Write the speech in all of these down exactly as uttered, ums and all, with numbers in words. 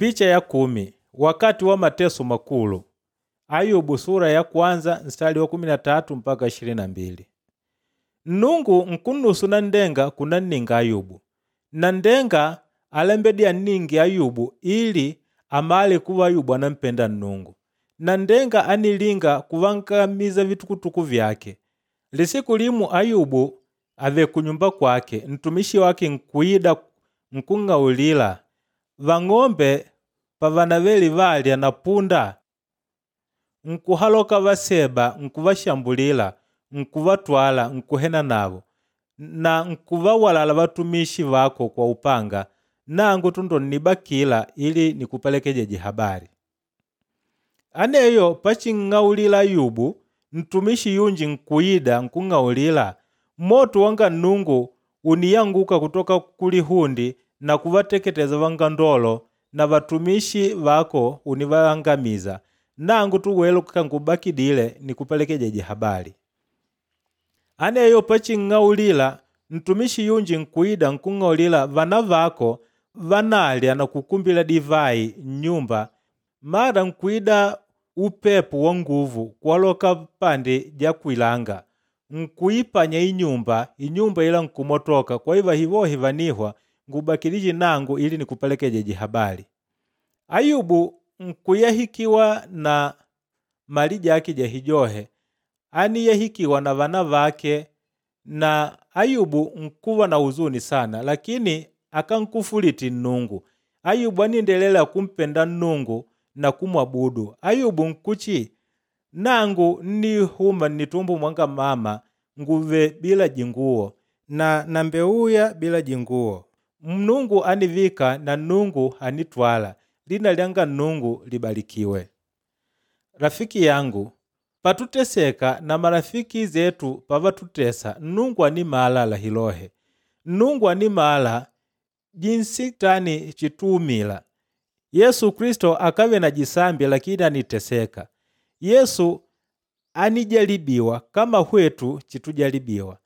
Picha ya kumi wakati wa mateso makulu Ayubu sura ya kwanza mstari wa kumi na tatu mpaka ishirini na mbili. Nnungu nkunnusu nandenga kunanninga Ayubu. Nandenga alembedi anningi Ayubu ili amale kuva Ayubu anampenda Nnungu. Nandenga anilinga kuvankamiza vitukutuku vyake. Lisiku limu Ayubu ave kunyumba kwake, ntumishi wake nkuida nkung'aulila vang'ombe pavanaveli valya na punda nkuhaloka vaseba nkuvashambulila nkuvatwala nkuhena navo na nkuvawalala vatumishi vako kwa upanga nangu tu ndo nnibakila ili nikupelekejeje habari. Aneyo paching'aulila Ayubu ntumishi yunji nkuida nkung'aulila moto wanga Nnungu uniyanguka kutoka kulihundi na kuvateketeza vangandolo na vatumishi vako univaangamiza nangu tu welu kangubakidile nikupelekejeje habari. Aneyo paching'aulila ntumishi yunji nkuida nkung'aulila vana vako vanalya na kukumbila divai nnyumba mara nkuida upepo wa nguvu kuwaloka pandi ja kwilanga nkuipanya inyumba inyumba ila nkumotoka kwa hiyo vahivohi vanihwa ngubakilije nangu ili nikupelekejeje habari. Ayubu nkuyahikiwa na mali jake jahijohe aniyahikiwa na vana vake na Ayubu nkuva na huzuni sana lakini akankufuliti Nnungu. Ayubu aniendelela kumpenda Nnungu na kumwabudu. Ayubu nkuchi nangu nnihuma nnitumbo mwanga mama nguve bila jinguo na nambeuya bila jinguo. Mnungu anivika na Nnungu anitwala. Lina lyanga Nnungu libarikiwe. Rafiki yangu patuteseka na marafiki zetu pavatutesa Nnungu animala lahilohe. Nnungu animala jinsi tani chituumila. Yesu Kristo akave na jisambi lakini aniteseka. Yesu anijalibiwa kama hwetu chitujalibiwa.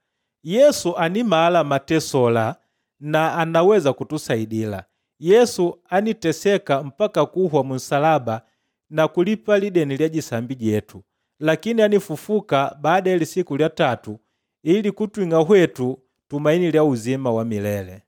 Yesu animala matesola na anaweza kutusaidila. Yesu aniteseka mpaka kuhwa munsalaba na kulipa lideni lya jisambi jetu. Lakini anifufuka baada ya lisiku lya tatu ili kutwing'a hwetu tumaini lya uzima wa milele.